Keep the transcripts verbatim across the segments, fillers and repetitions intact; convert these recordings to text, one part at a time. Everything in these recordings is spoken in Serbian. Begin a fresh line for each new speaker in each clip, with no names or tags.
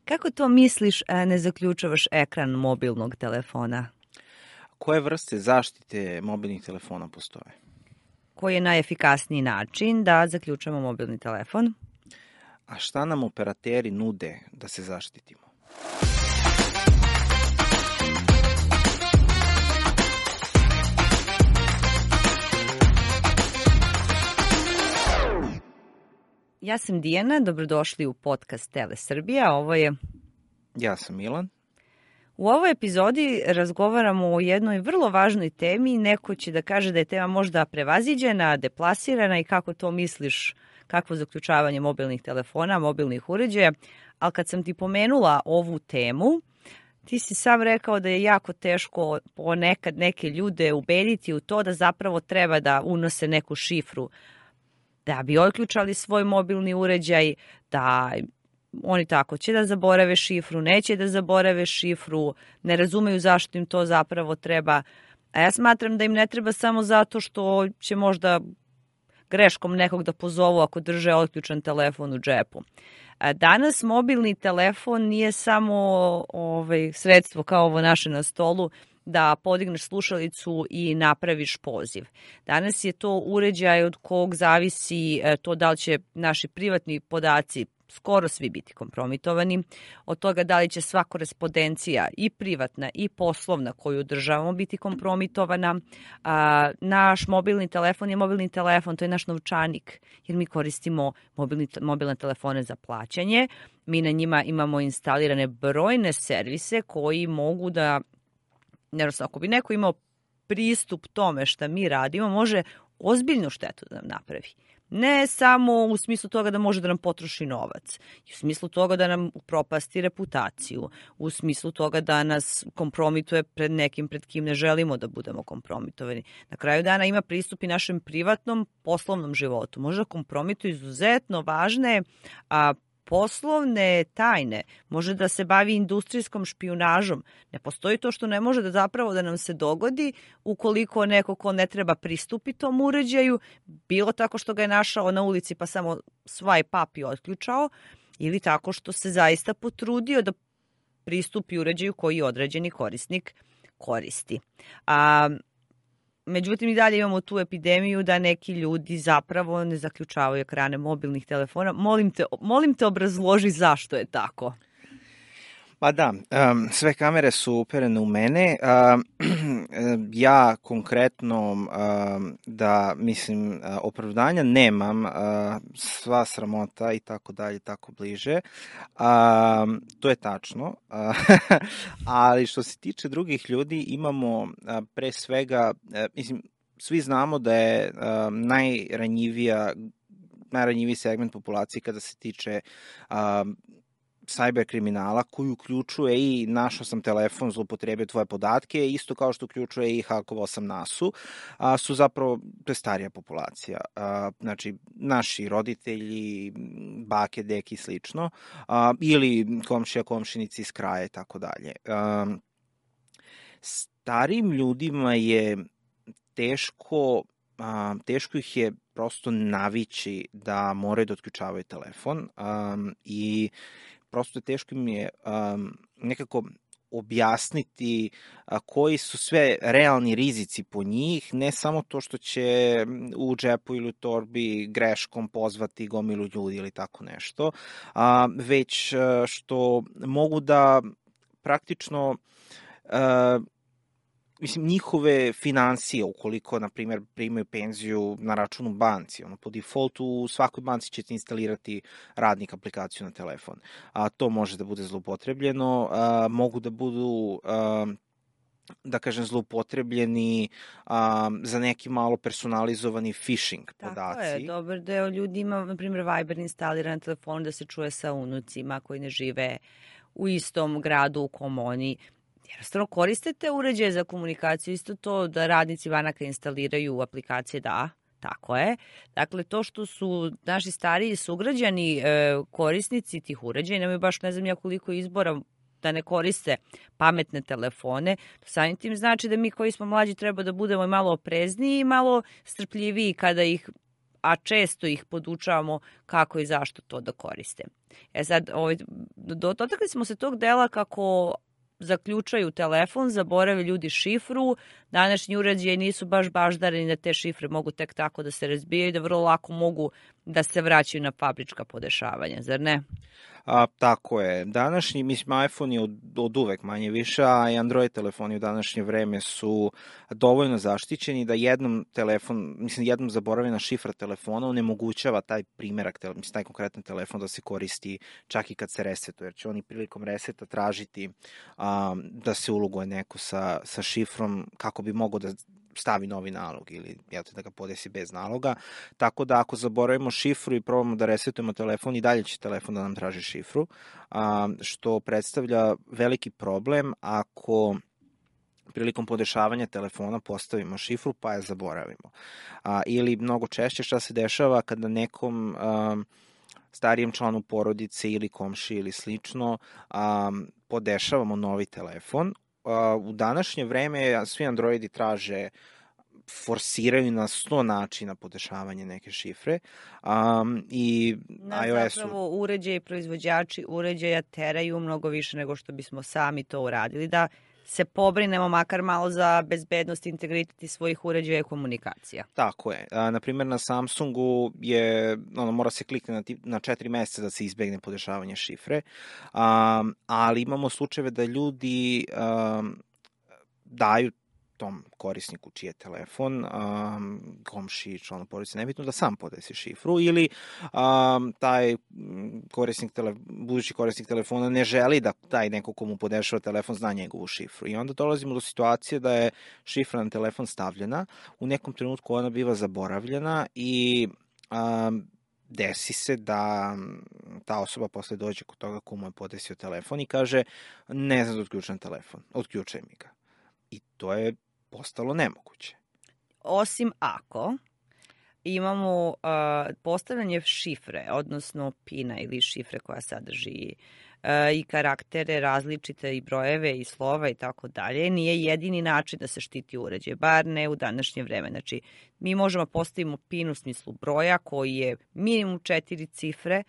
Kako to misliš, a ne zaključavaš ekran mobilnog telefona?
Koje vrste zaštite mobilnih telefona postoje?
Koji je najefikasniji način da zaključamo mobilni telefon?
A šta nam operateri nude da se zaštitimo?
Ja sam Dijana, dobrodošli u podcast Tele Srbija, ovo je...
Ja sam Milan.
U ovoj epizodi razgovaramo o jednoj vrlo važnoj temi, neko će da kaže da je tema možda prevaziđena, deplasirana i kako to misliš, kakvo zaključavanje mobilnih telefona, mobilnih uređaja, ali kad sam ti pomenula ovu temu, ti si sam rekao da je jako teško ponekad neke ljude ubediti u to da zapravo treba da unose neku šifru da bi otključali svoj mobilni uređaj, da oni tako će da zaborave šifru, neće da zaborave šifru, ne razumeju zašto im to zapravo treba. A ja smatram da im ne treba samo zato što će možda greškom nekog da pozovu ako drže otključan telefon u džepu. Danas mobilni telefon nije samo ovaj, sredstvo kao ovo naše na stolu da podigneš slušalicu i napraviš poziv. Danas je to uređaj od kog zavisi to da li će naši privatni podaci skoro svi biti kompromitovani, od toga da li će sva korespondencija i privatna i poslovna koju održavamo biti kompromitovana. A, naš mobilni telefon je mobilni telefon, to je naš novčanik, jer mi koristimo mobilni, mobilne telefone za plaćanje. Mi na njima imamo instalirane brojne servise koji mogu da, jednostavno, ako bi neko imao pristup tome šta mi radimo, može ozbiljnu štetu da nam napravi. Ne samo u smislu toga da može da nam potroši novac, u smislu toga da nam upropasti reputaciju, u smislu toga da nas kompromituje pred nekim pred kim ne želimo da budemo kompromitovani. Na kraju dana ima pristup i našem privatnom poslovnom životu. Može da kompromituje izuzetno važne a, poslovne tajne, može da se bavi industrijskom špijunažom. Ne postoji to što ne može da zapravo da nam se dogodi ukoliko neko ko ne treba pristupi tom uređaju, bilo tako što ga je našao na ulici pa samo swipe up i otključao, ili tako što se zaista potrudio da pristupi uređaju koji određeni korisnik koristi. A Međutim, i dalje imamo tu epidemiju da neki ljudi zapravo ne zaključavaju ekrane mobilnih telefona. Molim te, molim te obrazloži zašto je tako.
Pa da, um, sve kamere su uperene u mene. Um, ja konkretno um, da, mislim, uh, opravdanja nemam, uh, sva sramota i tako dalje, tako bliže. Um, to je tačno. Uh, ali što se tiče drugih ljudi, imamo uh, pre svega, uh, mislim, svi znamo da je uh, najranjivija, najranjiviji segment populacije kada se tiče uh, cyber kriminala, koji uključuje i našao sam telefon, zloupotrebio tvoje podatke, isto kao što uključuje i hakovao sam nasu, a, su zapravo, to je starija populacija. A, znači, naši roditelji, bake, deke i slično, a, ili komšija, komšinici iz kraja i tako dalje. Starim ljudima je teško, a, teško ih je prosto navići da moraju da otključavaju telefon a, i prosto teško mi je um, nekako objasniti a, koji su sve realni rizici po njih, ne samo to što će u džepu ili u torbi greškom pozvati gomilu ljudi ili tako nešto, a, već a, što mogu da praktično a, mislim, njihove financije, ukoliko, na primjer, primaju penziju na računu banci, ono, po defaultu u svakoj banci ćete instalirati radnik aplikaciju na telefon. A, to može da bude zloupotrebljeno, a, mogu da budu, a, da kažem, zloupotrebljeni a, za neki malo personalizovani phishing podaci.
Tako je, dobar deo ljudi ima, na primjer, Viber instaliran na telefon da se čuje sa unucima koji ne žive u istom gradu u kom oni jednostavno koriste te uređaje za komunikaciju, isto to da radnici banaka instaliraju aplikacije, da, tako je. Dakle, to što su naši stariji sugrađani e, korisnici tih uređaja, nemaju baš ne znam ja koliko izbora da ne koriste pametne telefone, to samim tim znači da mi koji smo mlađi treba da budemo malo oprezniji i malo strpljiviji kada ih, a često ih podučavamo kako i zašto to da koriste. E sad, ovaj, dotakli smo se tog dela kako zaključaju telefon, zaborave ljudi šifru, današnji uređaji nisu baš baždareni da te šifre mogu tek tako da se razbijaju, da vrlo lako mogu da se vraćaju na fabrička podešavanja, zar ne?
A, tako je. Današnji, mislim, iPhone je od, od uvek manje više, a i Android telefoni u današnje vreme su dovoljno zaštićeni da jednom telefon, mislim, jednom zaboravljena šifra telefona onemogućava taj primerak, mislim, taj konkretan telefon da se koristi čak i kad se resetuje, jer će oni prilikom reseta tražiti a, da se uloguje neko sa, sa šifrom kako bi mogo da stavi novi nalog ili jel te, da ga podesi bez naloga. Tako da ako zaboravimo šifru i probamo da resetujemo telefon, i dalje će telefon da nam traži šifru, a, što predstavlja veliki problem ako prilikom podešavanja telefona postavimo šifru pa je zaboravimo. A, ili mnogo češće šta se dešava kada nekom a, starijem članu porodice ili komši ili slično a, podešavamo novi telefon. U današnje vreme svi Androidi traže, forsiraju na sto načina podešavanje neke šifre um, i
Na
iOS-u...
Zapravo uređaji, proizvođači uređaja teraju mnogo više nego što bismo sami to uradili, da se pobrinemo makar malo za bezbednost i integritet svojih uređaja i komunikacija.
Tako je. A, na primjer, na Samsungu je, ono, mora se kliknuti na, na četiri meseca da se izbegne podešavanje šifre, um, ali imamo slučajeve da ljudi um, daju tom korisniku čiji je telefon, um, komši, članu porodice, nebitno, da sam podesi šifru, ili um, taj korisnik tele, budući korisnik telefona ne želi da taj neko komu podešava telefon zna njegovu šifru. I onda dolazimo do situacije da je šifra na telefon stavljena, u nekom trenutku ona biva zaboravljena i um, desi se da ta osoba posle dođe kod toga komu je podesio telefon i kaže ne znam da otključam telefon, otključaj mi ga. I to je postalo nemoguće.
Osim ako imamo uh, postavljanje šifre, odnosno pina ili šifre koja sadrži uh, i karaktere različite i brojeve i slova i tako dalje, nije jedini način da se štiti uređaj, bar ne u današnje vreme. Znači, mi možemo postavimo pin u smislu broja koji je minimum četiri cifre,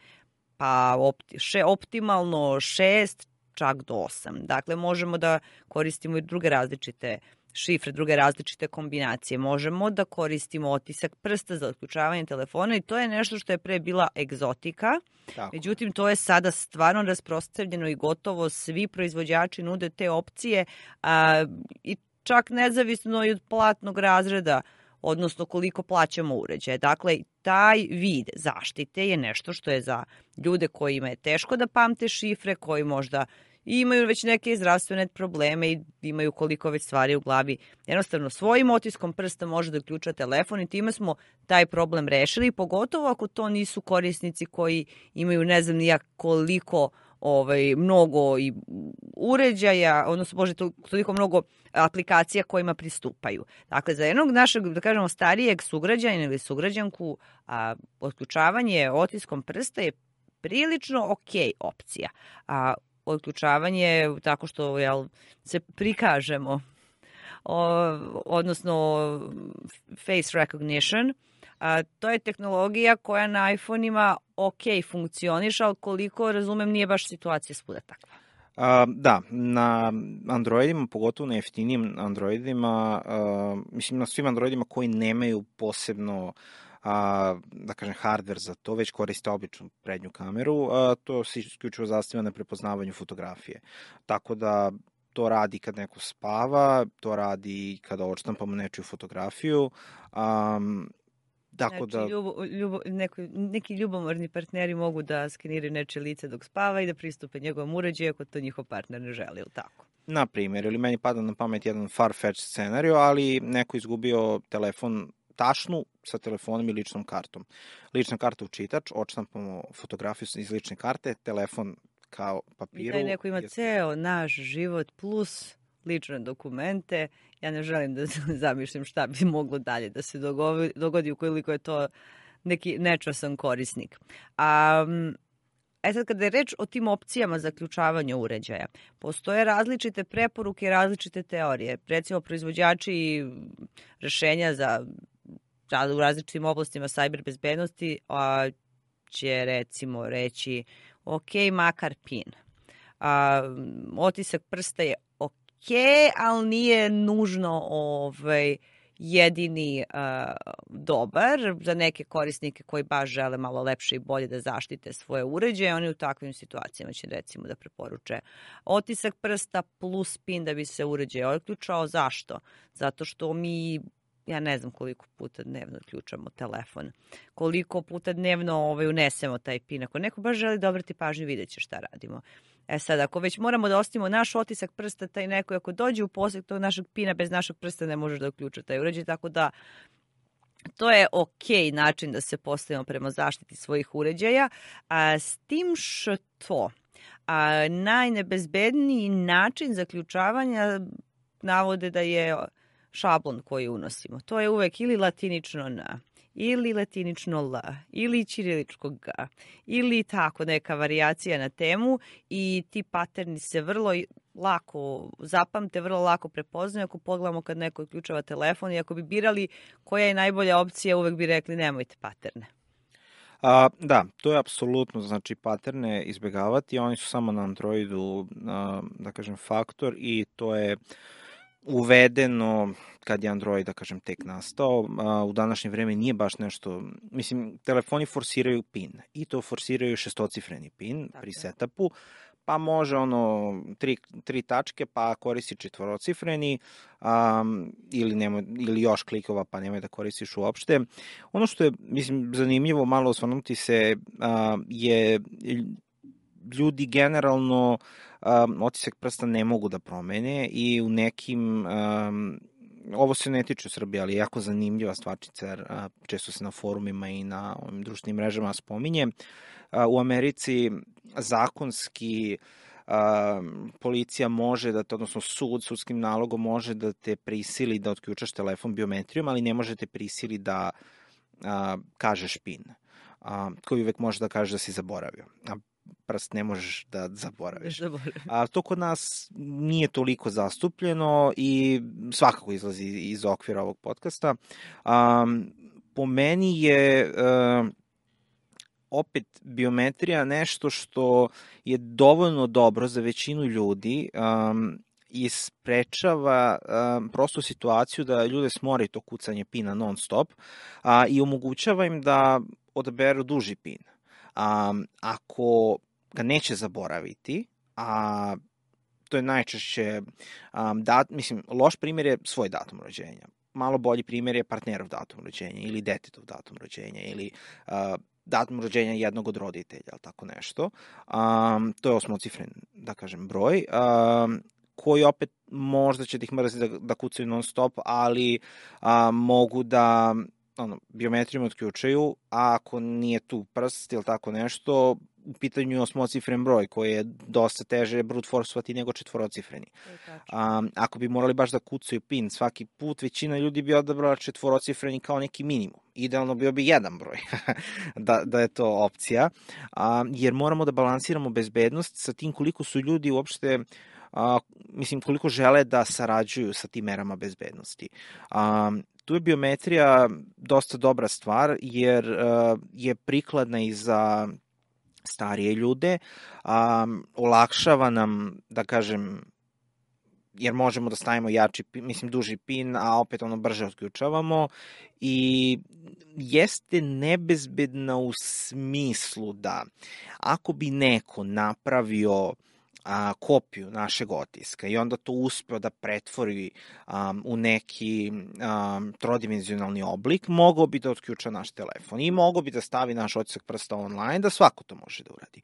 pa opti, še, optimalno šest, čak do osam. Dakle, možemo da koristimo i druge različite šifre, druge različite kombinacije. Možemo da koristimo otisak prsta za otključavanje telefona i to je nešto što je pre bila egzotika. Tako. Međutim, to je sada stvarno rasprostranjeno i gotovo svi proizvođači nude te opcije a, i čak nezavisno i od platnog razreda, odnosno koliko plaćamo uređaje. Dakle, taj vid zaštite je nešto što je za ljude kojima je teško da pamte šifre, koji možda imaju već neke zdravstvene probleme i imaju koliko već stvari u glavi. Jednostavno, svojim otiskom prsta može da uključa telefon i time smo taj problem rešili, pogotovo ako to nisu korisnici koji imaju ne znam nijak koliko ovaj, mnogo i uređaja, odnosno može toliko mnogo aplikacija kojima pristupaju. Dakle, za jednog našeg, da kažemo, starijeg sugrađanina ili sugrađanku, a, otključavanje otiskom prsta je prilično ok opcija. A otključavanje tako što jel, se prikažemo, o, odnosno face recognition, a, to je tehnologija koja na iPhone-ima ok funkcioniše, ali koliko razumem nije baš situacija svuda takva.
Uh, da, na Androidima, pogotovo na jeftinijim Androidima, uh, mislim na svim Androidima koji nemaju posebno a, da kažem, hardware za to, već koriste običnu prednju kameru, a, to se isključivo zasniva na prepoznavanju fotografije. Tako da to radi kad neko spava, to radi kada odštampamo nečiju fotografiju. Um, Tako
znači,
da...
ljubo, ljubo, neko, neki ljubomorni partneri mogu da skeniraju nečije lice dok spava i da pristupe njegovom uređaju ako to njihov partner ne želi, ili tako?
Na primjer, ili meni pada na pamet jedan far-fetched scenario, ali neko izgubio telefon, tašnu sa telefonom i ličnom kartom. Lična karta u čitač, odštampamo fotografiju iz lične karte, telefon kao papiru.
I taj neko ima je... ceo naš život plus lične dokumente. Ja ne želim da zamišljam šta bi moglo dalje da se dogodi, dogodi ukoliko je to neki nečasan korisnik. A, e sad, kada je reč o tim opcijama za ključavanje uređaja, postoje različite preporuke i različite teorije. Recimo, proizvođači rešenja za u različitim oblastima sajber bezbednosti a, će recimo reći ok, makar pin. A, otisak prsta je ok, ali nije nužno ovaj, jedini uh, dobar. Za neke korisnike koji baš žele malo lepše i bolje da zaštite svoje uređaje, oni u takvim situacijama će recimo da preporuče otisak prsta plus pin da bi se uređaj otključao. Zašto? Zato što mi, ja ne znam koliko puta dnevno otključamo telefon, koliko puta dnevno ovaj, unesemo taj pin. Ako neko baš želi da obrati pažnju, vidjet će šta radimo. E sad, ako već moramo da ostavimo naš otisak prsta, taj neko, ako dođe u posjed tog našeg pina, bez našeg prsta ne može da uključa taj uređaj, tako da to je ok način da se postavimo prema zaštiti svojih uređaja, a s tim što a, najnebezbedniji način zaključavanja navode da je šablon koji unosimo. To je uvek ili latinično N, ili latinično L, ili ćiriličko G, ili tako neka varijacija na temu i ti paterni se vrlo lako zapamte, vrlo lako prepoznaju. Ako pogledamo kad neko uključava telefon i ako bi birali koja je najbolja opcija, uvek bi rekli nemojte paterne.
A, da, to je apsolutno, znači paterne izbjegavati, oni su samo na Androidu, a, da kažem, faktor i to je uvedeno kad je Android, da kažem, tek nastao. A, u današnje vreme nije baš nešto, mislim, telefoni forsiraju pin i to forsiraju šestocifreni pin Tako. pri setupu, pa može ono tri, tri tačke, pa koristi četvorocifreni um, ili, nema, ili još klikova, pa nemoj da koristiš uopšte. Ono što je, mislim, zanimljivo malo osvrnuti se uh, je ljudi generalno um, otisak prsta ne mogu da promene i u nekim, um, ovo se ne tiče Srbije, ali je jako zanimljiva stvarčica, jer uh, često se na forumima i na ovim društvenim mrežama spominje. Uh, u Americi zakonski uh, policija može da, odnosno sud, sudskim nalogom može da te prisili da otključaš telefon biometrijom, ali ne može te prisili da uh, kažeš pin, uh, koji uvek može da kaže da si zaboravio. A prst ne možeš da zaboraviš. A to kod nas nije toliko zastupljeno i svakako izlazi iz okvira ovog podcasta. Um, po meni je uh, opet biometrija nešto što je dovoljno dobro za većinu ljudi um, i sprečava um, prostu situaciju da ljude smori to kucanje pina non stop a, i omogućava im da odaberu duži pin. Um, ako ga neće zaboraviti, a to je najčešće um, dat, mislim, loš primjer je svoj datum rođenja. Malo bolji primjer je partnerov datum rođenja ili detetov datum rođenja ili uh, datum rođenja jednog od roditelja, ali tako nešto. Um, to je osmocifren, da kažem, broj, um, koji opet možda će da ih mrziti da, da kucaju non stop, ali um, mogu da ono, biometrijom otključaju, a ako nije tu prst ili tako nešto, u pitanju je osmocifren broj koji je dosta teže brute forceovati nego četvorocifreni. Um, ako bi morali baš da kucaju pin svaki put, većina ljudi bi odabrala četvorocifreni kao neki minimum. Idealno bio bi jedan broj da, da je to opcija, um, jer moramo da balansiramo bezbednost sa tim koliko su ljudi uopšte Uh, mislim, koliko žele da sarađuju sa tim merama bezbednosti. Um, tu je biometrija dosta dobra stvar, jer uh, je prikladna i za starije ljude, um, olakšava nam, da kažem, jer možemo da stavimo jači, mislim, duži pin, a opet ono brže otključavamo i jeste nebezbedna u smislu da ako bi neko napravio a, kopiju našeg otiska i onda to uspeo da pretvori um, u neki um, trodimenzionalni oblik, mogao bi da otključa naš telefon i mogao bi da stavi naš otisak prsta online, da svako to može da uradi.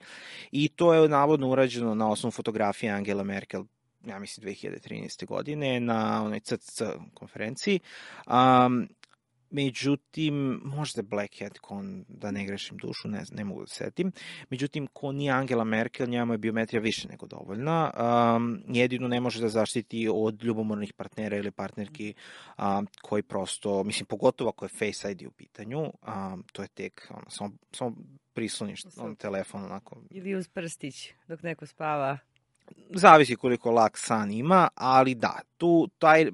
I to je navodno urađeno na osnovu fotografije Angela Merkel, ja mislim dve hiljade trinaeste. godine na onoj C C C konferenciji. Um, Međutim, možda Black Hat, kon, da ne grešim dušu, ne, ne mogu da setim. Međutim, ko nije Angela Merkel, njama je biometrija više nego dovoljna. Um, jedino ne može da zaštiti od ljubomornih partnera ili partnerki um, koji prosto, mislim, pogotovo ako je Face I D u pitanju, um, to je tek, ono, samo, samo prisloniš on telefon, onako.
Ili uz prstić, dok neko spava.
Zavisi koliko lak san ima, ali da, tu taj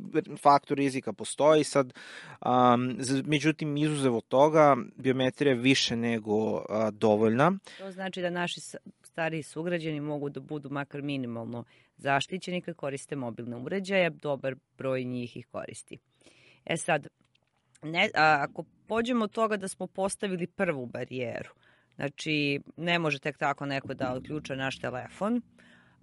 faktor rizika postoji. Sad, um, međutim, izuzev od toga, biometrija je više nego uh, dovoljna.
To znači da naši stariji sugrađani mogu da budu makar minimalno zaštićeni kad koriste mobilne uređaje, dobar broj njih ih koristi. E sad, ne, a, ako pođemo od toga da smo postavili prvu barijeru, znači ne može tek tako neko da odključa naš telefon,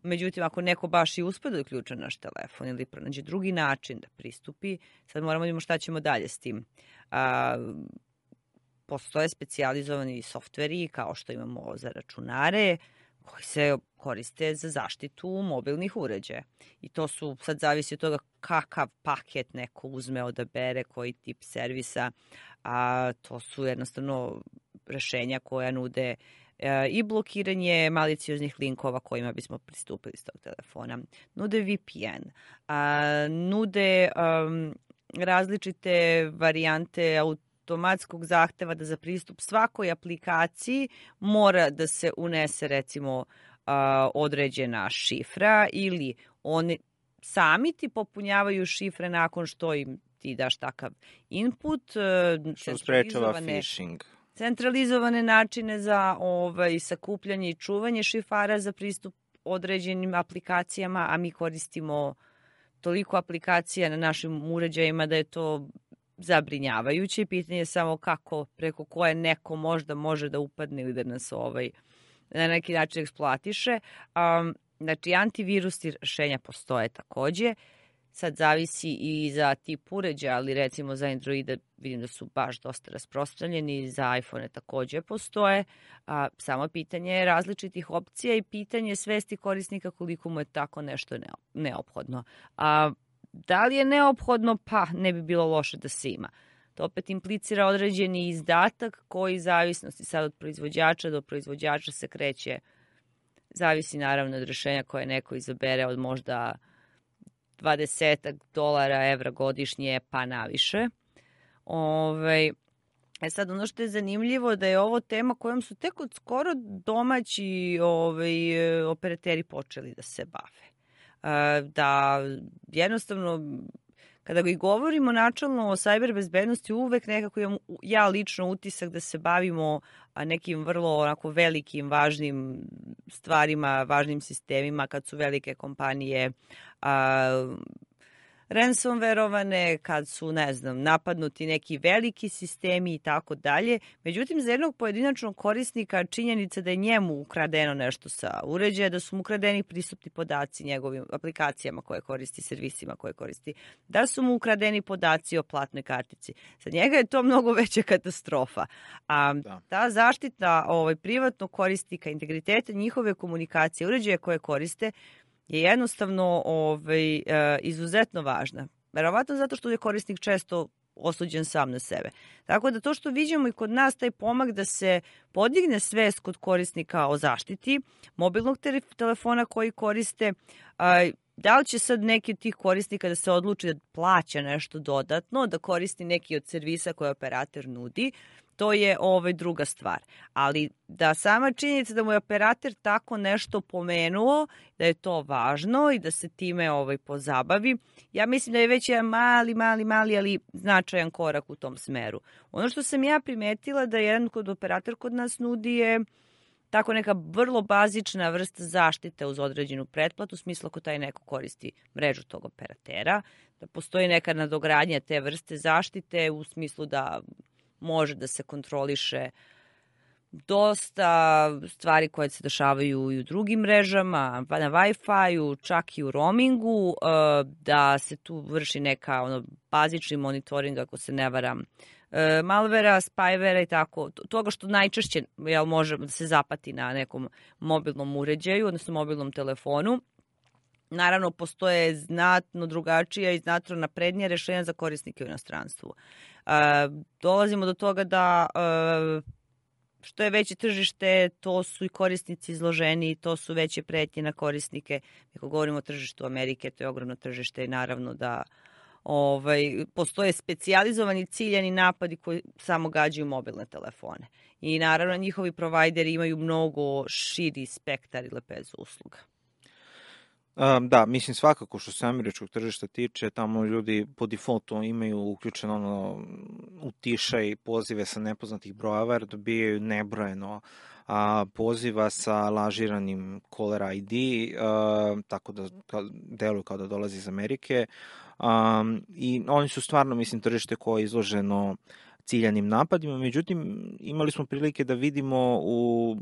međutim ako neko baš i uspe da odključa naš telefon ili pronađe drugi način da pristupi, sad moramo da vidimo šta ćemo dalje s tim. A, postoje specijalizovani softveri kao što imamo za računare koji se koriste za zaštitu mobilnih uređaja. I to su, sad zavisi od toga kakav paket neko uzme, odabere, koji tip servisa, a to su jednostavno rešenja koja nude e, i blokiranje malicioznih linkova kojima bismo pristupili s tog telefona. Nude V P N, a, nude um, različite varijante automatskog zahteva da za pristup svakoj aplikaciji mora da se unese recimo a, određena šifra ili oni sami ti popunjavaju šifre nakon što im ti daš takav input.
Što sprečava phishing.
Centralizovane načine za ovaj, sakupljanje i čuvanje šifara za pristup određenim aplikacijama, a mi koristimo toliko aplikacija na našim uređajima da je to zabrinjavajuće. Pitanje je samo kako, preko koje neko možda može da upadne ili da nas ovaj, na neki način eksploatiše. Um, znači, antivirusni rešenja postoje takođe. Sad zavisi i za tip uređaja, ali recimo za Androida vidim da su baš dosta rasprostranjeni, za iPhone takođe postoje. A, samo pitanje je različitih opcija i pitanje svesti korisnika koliko mu je tako nešto neophodno. A, da li je neophodno? Pa ne bi bilo loše da se ima. To opet implicira određeni izdatak koji zavisnosti sad od proizvođača do proizvođača se kreće. Zavisi naravno od rešenja koje neko izabere od možda dvadeset dolara, evra godišnje, pa naviše. Ove, e sad, ono što je zanimljivo da je ovo tema kojom su tek od skoro domaći ove, operateri počeli da se bave. E, da jednostavno, kada ga i govorimo načalno o sajber bezbednosti, uvek nekako imam ja lično utisak da se bavimo nekim vrlo onako velikim, važnim stvarima, važnim sistemima, kad su velike kompanije a, ransomverovane, kad su, ne znam, napadnuti neki veliki sistemi i tako dalje. Međutim, za jednog pojedinačnog korisnika činjenica da je njemu ukradeno nešto sa uređaja, da su mu ukradeni pristupni podaci njegovim aplikacijama koje koristi, servisima koje koristi, da su mu ukradeni podaci o platnoj kartici. Za njega je to mnogo veća katastrofa. A da. Ta zaštita ovaj, privatnog korisnika, integriteta njihove komunikacije, uređaja koje koriste, je jednostavno ovaj, izuzetno važna. Verovatno zato što je korisnik često osuđen sam na sebe. Tako da to što vidimo i kod nas, taj pomak da se podigne svest kod korisnika o zaštiti mobilnog telefona koji koriste, da li će sad neki od tih korisnika da se odluči da plaća nešto dodatno, da koristi neki od servisa koje operator nudi, to je ovaj druga stvar. Ali da sama činjenica da mu je operator tako nešto pomenuo, da je to važno i da se time ovaj pozabavi, ja mislim da je već jedan mali, mali, mali, ali značajan korak u tom smeru. Ono što sam ja primetila da jedan kod operator kod nas nudi je tako neka vrlo bazična vrsta zaštite uz određenu pretplatu, u smislu ako taj neko koristi mrežu tog operatera, da postoji neka nadogradnja te vrste zaštite u smislu da može da se kontroliše dosta stvari koje se dešavaju i u drugim mrežama, na Wi-Fi-u, čak i u roamingu, da se tu vrši neka ono, bazični monitoring, ako se ne varam, malvera, spywera i tako, toga što najčešće jel, može da se zapati na nekom mobilnom uređaju, odnosno mobilnom telefonu. Naravno, postoje znatno drugačija i znatno naprednija rešenja za korisnike u inostranstvu. E, dolazimo do toga da e, što je veće tržište, to su i korisnici izloženi, to su veće pretnje na korisnike. Ako govorimo o tržištu Amerike, to je ogromno tržište i naravno da ovaj, postoje specijalizovani ciljani napadi koji samo gađaju mobilne telefone. I naravno njihovi provajderi imaju mnogo širi spektar i lepezu usluga.
Um, da, mislim svakako što se američkog tržišta tiče, tamo ljudi po defaultu imaju uključeno ono utišaj pozive sa nepoznatih brojeva jer dobijaju nebrojeno a, poziva sa lažiranim caller I D, a, tako da deluje kao da dolazi iz Amerike. Um, I oni su stvarno, mislim, tržište koje je izloženo ciljanim napadima, međutim imali smo prilike da vidimo u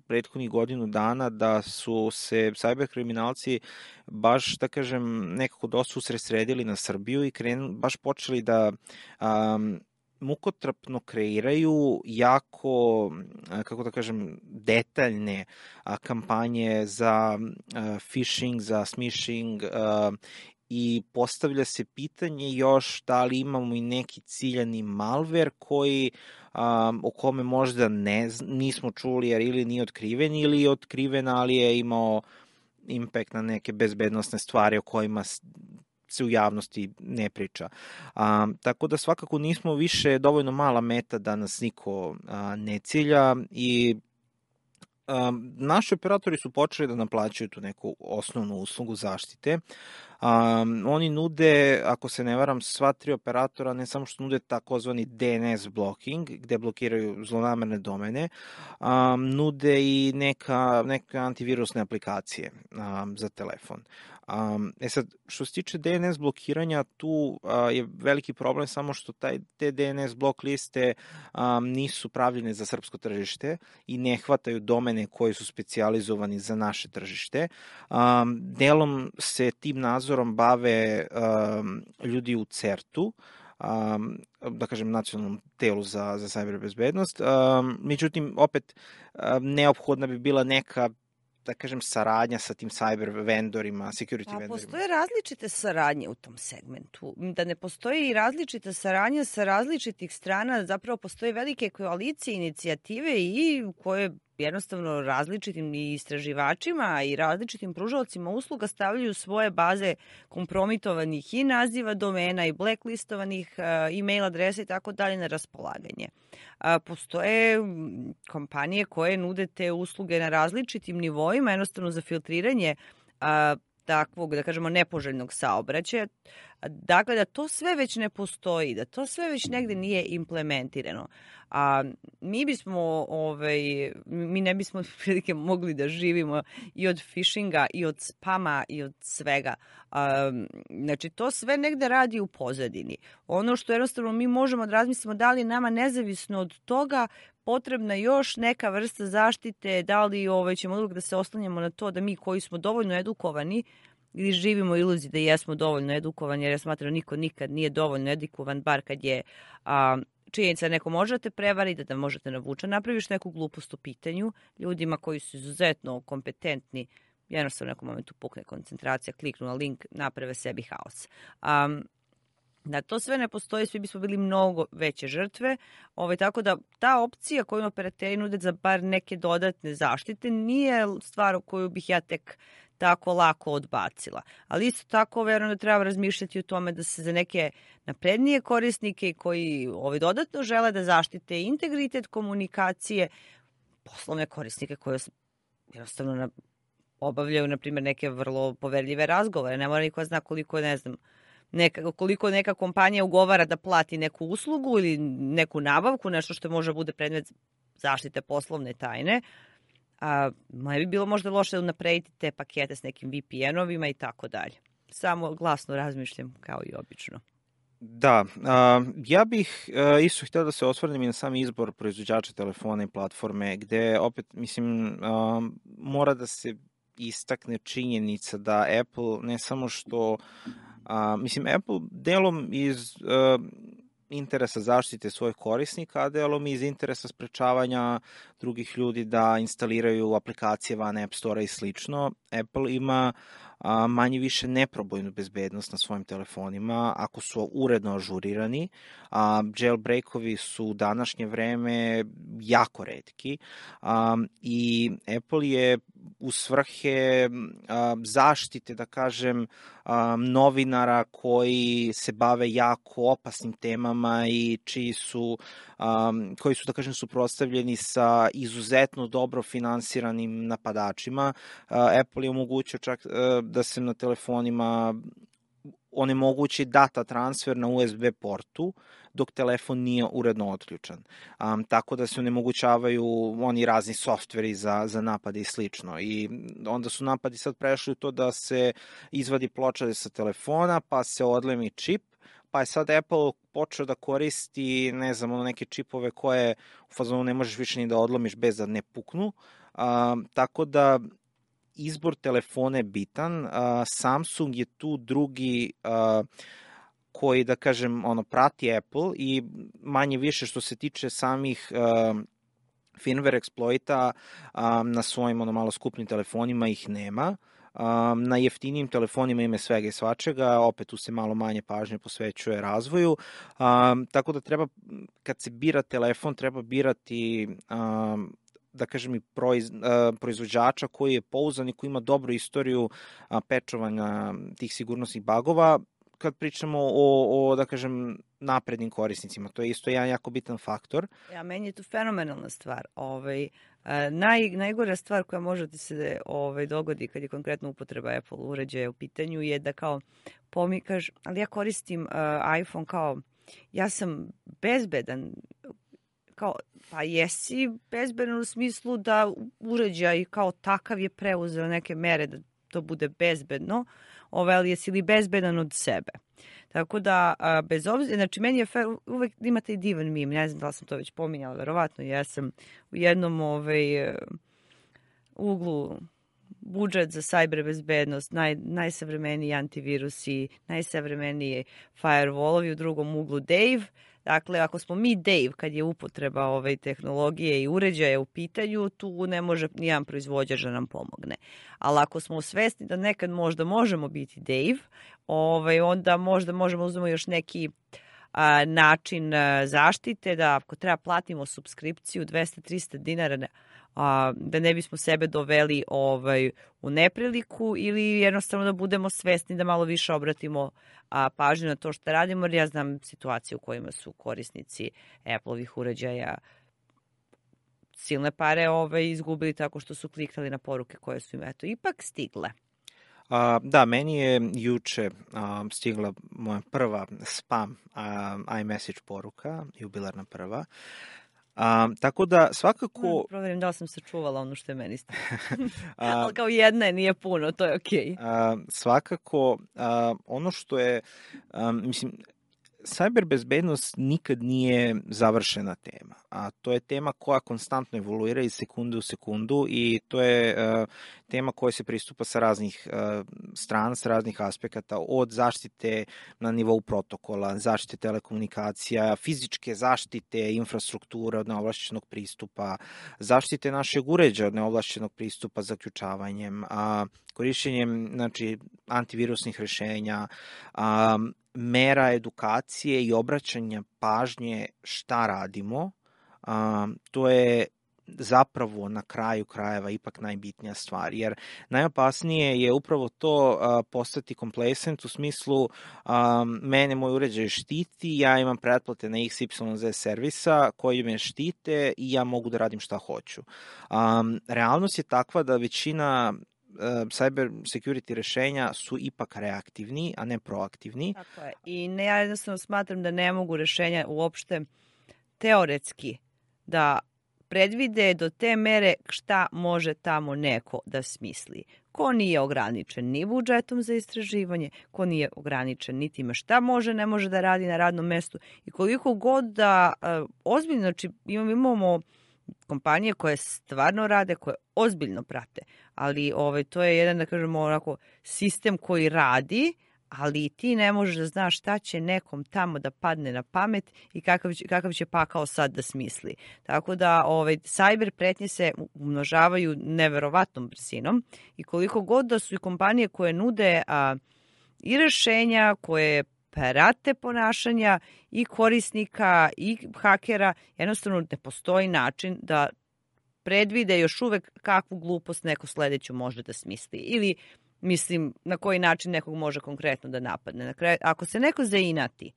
prethodnih godinu dana da su se cyber kriminalci baš, da kažem, nekako dosta usredsredili na Srbiju i krenu, baš počeli da um, mukotrpno kreiraju jako, kako da kažem, detaljne a, kampanje za a, phishing, za smishing a, i postavlja se pitanje još da li imamo i neki ciljani malver koji, um, o kome možda ne, nismo čuli jer ili nije otkriven ili je otkriven, ali je imao impact na neke bezbednosne stvari o kojima se u javnosti ne priča. Um, tako da svakako nismo više dovoljno mala meta da nas niko a, ne cilja i Um, naši operatori su počeli da naplaćaju tu neku osnovnu uslugu zaštite. Um, oni nude, ako se ne varam, sva tri operatora ne samo što nude takozvani D N S blocking, gde blokiraju zlonamerne domene, um, nude i neka, neka antivirusne aplikacije um, za telefon. Um, e sad, što se tiče D N S blokiranja, tu uh, je veliki problem samo što taj, te D N S blok liste um, nisu pravljene za srpsko tržište i ne hvataju domene koji su specijalizovani za naše tržište. Um, delom se tim nadzorom bave um, ljudi u CERT-u, um, da kažem nacionalnom telu za, za cyber bezbednost. Um, međutim, opet, um, neophodna bi bila neka, da kažem, saradnja sa tim cyber vendorima, security
A
vendorima.
postoje različite saradnje u tom segmentu. Da ne postoji i različita saradnja sa različitih strana, zapravo postoje velike koalicije, inicijative i koje jednostavno različitim i istraživačima i različitim pružaocima usluga stavljaju svoje baze kompromitovanih i naziva domena i blacklistovanih e-mail adresa i tako dalje na raspolaganje. Postoje kompanije koje nude te usluge na različitim nivoima, jednostavno za filtriranje takvog, da kažemo, nepoželjnog saobraćaja. Dakle, da to sve već ne postoji, da to sve već negde nije implementirano. A mi bismo, ovaj, mi ne bismo prilike mogli da živimo i od phishinga, i od spama, i od svega. A, znači, to sve negde radi u pozadini. Ono što jednostavno mi možemo da razmislimo da li nama nezavisno od toga potrebna još neka vrsta zaštite, da li ovaj, ćemo uvijek da se oslanjamo na to da mi koji smo dovoljno edukovani ili živimo iluziji da jesmo dovoljno edukovani, jer ja smatram niko nikad nije dovoljno edukovan, bar kad je a, činjenica da neko možete prevariti, da možete navuče, napraviš neku glupost u pitanju ljudima koji su izuzetno kompetentni, jednostavno u nekom momentu pukne koncentracija, kliknu na link, naprave sebi haos. Um, Da to sve ne postoji, svi bismo bili mnogo veće žrtve, ovaj, tako da ta opcija koju operateri nude za bar neke dodatne zaštite nije stvar o koju bih ja tek tako lako odbacila. Ali isto tako verujem da treba razmišljati o tome da se za neke naprednije korisnike koji ovaj, dodatno žele da zaštite integritet komunikacije, poslovne korisnike koje jednostavno na, obavljaju, na primjer, neke vrlo poverljive razgovore. Ne mora niko zna koliko, ne znam, Neka, koliko neka kompanija ugovara da plati neku uslugu ili neku nabavku, nešto što može bude predmet zaštite poslovne tajne. A, ne bi bilo možda loše da unaprediti te pakete s nekim V P N-ovima i tako dalje. Samo glasno razmišljam kao i obično.
Da, a, ja bih a, isto htio da se osvrnem i na sam izbor proizvođača telefona i platforme, gde opet, mislim, a, mora da se istakne činjenica da Apple ne samo što Uh, mislim, Apple delom iz uh, interesa zaštite svojih korisnika, a delom iz interesa sprečavanja drugih ljudi da instaliraju aplikacije van App Store i slično. Apple ima a, manje više neprobojnu bezbednost na svojim telefonima ako su uredno ažurirani. A, jailbreakovi su u današnje vreme jako retki a, i Apple je u svrhe a, zaštite, da kažem, a, novinara koji se bave jako opasnim temama i čiji su, a, koji su, da kažem, suprotstavljeni sa izuzetno dobro finansiranim napadačima. A, Apple je omogućio čak a, da se na telefonima onemogući data transfer na U S B portu dok telefon nije uredno otključan. Um, tako da se onemogućavaju oni razni softveri za, za napade i slično. I onda su napadi sad prešli u to da se izvadi ploča sa telefona, pa se odlemi čip, pa je sad Apple počeo da koristi, ne znam, ono neke čipove koje u fazonu ne možeš više ni da odlomiš bez da ne puknu. Um, tako da izbor telefona je bitan. Uh, Samsung je tu drugi uh, koji, da kažem, ono, prati Apple i manje više što se tiče samih uh, firmware exploita um, na svojim ono, malo skupnim telefonima ih nema. Um, na jeftinijim telefonima ima svega i svačega, opet tu se malo manje pažnje posvećuje razvoju, um, tako da treba, kad se bira telefon, treba birati um, da kažem i proiz, uh, proizvođača koji je pouzdan i koji ima dobru istoriju uh, pečovanja tih sigurnosnih bagova, kad pričamo o, o, da kažem, naprednim korisnicima. To je isto jedan jako bitan faktor.
Ja, meni je to fenomenalna stvar. Ovaj, naj, najgora stvar koja može da se ovaj, dogodi kad je konkretno upotreba Apple uređaja u pitanju je da kao pomikaš, ali ja koristim uh, iPhone kao, ja sam bezbedan, kao, pa jesi bezbedan u smislu da uređaj kao takav je preuzeo neke mere da to bude bezbedno, ovaj, ali jesi li bezbedan od sebe. Tako da, a, bez obzira, znači meni je fer, uvek imate i divan mim, ne znam da li sam to već pominjala, verovatno, ja sam u jednom ovaj, uglu budžet za cyber bezbednost, naj, najsavremeniji antivirusi, najsavremeniji firewallovi, u drugom uglu Dave. Dakle, ako smo mi Dave kad je upotreba ove tehnologije i uređaja u pitanju, tu ne može nijedan proizvođač da nam pomogne. Ali ako smo svesni da nekad možda možemo biti Dave, ovaj, onda možda možemo uzmemo još neki a, način a, zaštite, da ako treba platimo subskripciju dvesta do trista dinara, a, da ne bismo sebe doveli ovaj, u nepriliku, ili jednostavno da budemo svesni da malo više obratimo a, pažnju na to što radimo, jer ja znam situacije u kojima su korisnici Apple-ovih uređaja silne pare ovaj, izgubili tako što su kliknuli na poruke koje su im eto ipak stigle.
A, da, meni je juče a, stigla moja prva spam a, iMessage poruka, jubilarna prva. A, tako da svakako...
Proverim da li sam sačuvala ono što je meni stigla. Ali kao jedna je, nije puno, to je okej.
Okay. Svakako, a, ono što je, a, mislim, cyber bezbednost nikad nije završena tema, a to je tema koja konstantno evoluira iz sekunde u sekundu i to je uh, tema koja se pristupa sa raznih uh, strana, sa raznih aspekata, od zaštite na nivou protokola, zaštite telekomunikacija, fizičke zaštite, infrastrukture od neovlašćenog pristupa, zaštite našeg uređaja od neovlašćenog pristupa zaključavanjem, a korišćenjem, znači, antivirusnih rešenja, a, mera edukacije i obraćanja pažnje šta radimo, a, to je zapravo na kraju krajeva ipak najbitnija stvar, jer najopasnije je upravo to a, postati complacent u smislu a, mene moj uređaj štiti, ja imam pretplate na X Y Z servisa koji me štite i ja mogu da radim šta hoću. A, realnost je takva da većina cyber security rešenja su ipak reaktivni, a ne proaktivni.
Tako je. I ne, ja jednostavno smatram da ne mogu rešenja uopšte teoretski da predvide do te mere šta može tamo neko da smisli. Ko nije ograničen ni budžetom za istraživanje, ko nije ograničen ni time šta može, ne može da radi na radnom mestu i koliko god da uh, ozbiljno, znači imamo, imamo kompanije koje stvarno rade, koje ozbiljno prate, ali ovaj, to je jedan, da kažemo, onako, sistem koji radi, ali ti ne možeš da znaš šta će nekom tamo da padne na pamet i kakav će, kakav će pakao sad da smisli. Tako da ovaj, cyber pretnje se umnožavaju neverovatnom brzinom i koliko god da su i kompanije koje nude a, i rešenja, koje prate ponašanja i korisnika i hakera, jednostavno ne postoji način da predvide još uvek kakvu glupost neko sledeću može da smisli. Ili, mislim, na koji način nekog može konkretno da napadne. Na kraju, ako se neko zainati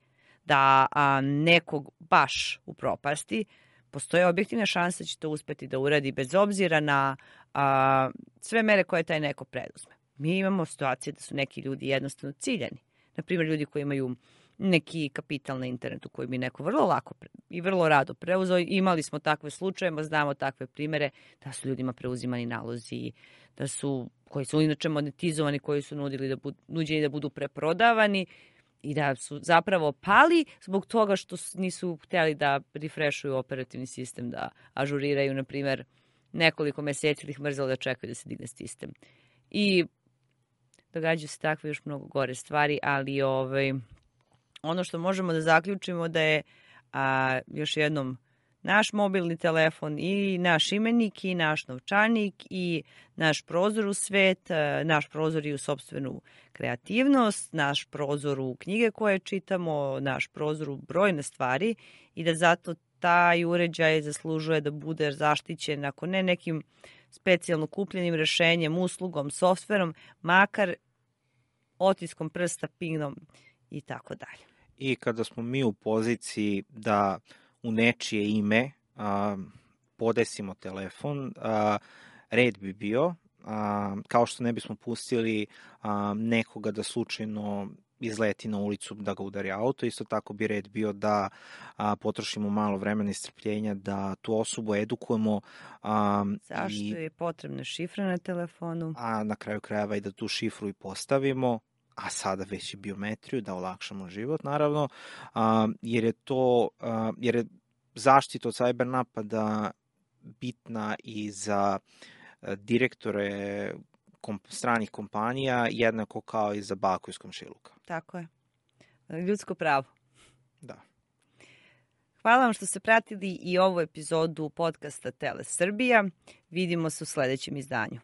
da a, nekog baš upropasti, postoje objektivna šansa da će to uspeti da uradi bez obzira na a, sve mere koje taj neko preduzme. Mi imamo situacije da su neki ljudi jednostavno ciljani. na primjer ljudi koji imaju neki kapital na internetu koji bi neko vrlo lako i vrlo rado preuzeo. Imali smo takve slučajeve, znamo takve primere da su ljudima preuzimani nalozi, da su, koji su inače monetizovani, koji su nudili da budu, nuđeni da budu preprodavani i da su zapravo pali zbog toga što nisu htjeli da refreshuju operativni sistem, da ažuriraju, na primjer, nekoliko meseci ili ih mrzelo da čekaju da se digne sistem. I događaju se takve još mnogo gore stvari, ali ovaj, ono što možemo da zaključimo da je a, još jednom naš mobilni telefon i naš imenik i naš novčanik i naš prozor u svet, naš prozor i u sopstvenu kreativnost, naš prozor u knjige koje čitamo, naš prozor u brojne stvari i da zato taj uređaj zaslužuje da bude zaštićen, ako ne nekim specijalno kupljenim rešenjem, uslugom, softverom, makar otiskom prsta, pingom i tako dalje.
I kada smo mi u poziciji da u nečije ime a, podesimo telefon, a, red bi bio, a, kao što ne bismo pustili a, nekoga da slučajno izleti na ulicu da ga udari auto, isto tako bi red bio da a, potrošimo malo vremena i strpljenja da tu osobu edukujemo. A,
Zašto
i,
je potrebna šifra na telefonu?
A na kraju krajeva i da tu šifru i postavimo, a sada već i biometriju, da olakšamo život, naravno, a, jer je to, a, jer je zaštita od cyber napada bitna i za direktore komp stranih kompanija, jednako kao i za baku iz komšiluka.
Tako je. Ljudsko pravo.
Da.
Hvala vam što ste pratili i ovu epizodu podcasta Tele Srbija. Vidimo se u sledećem izdanju.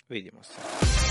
Vidimo se.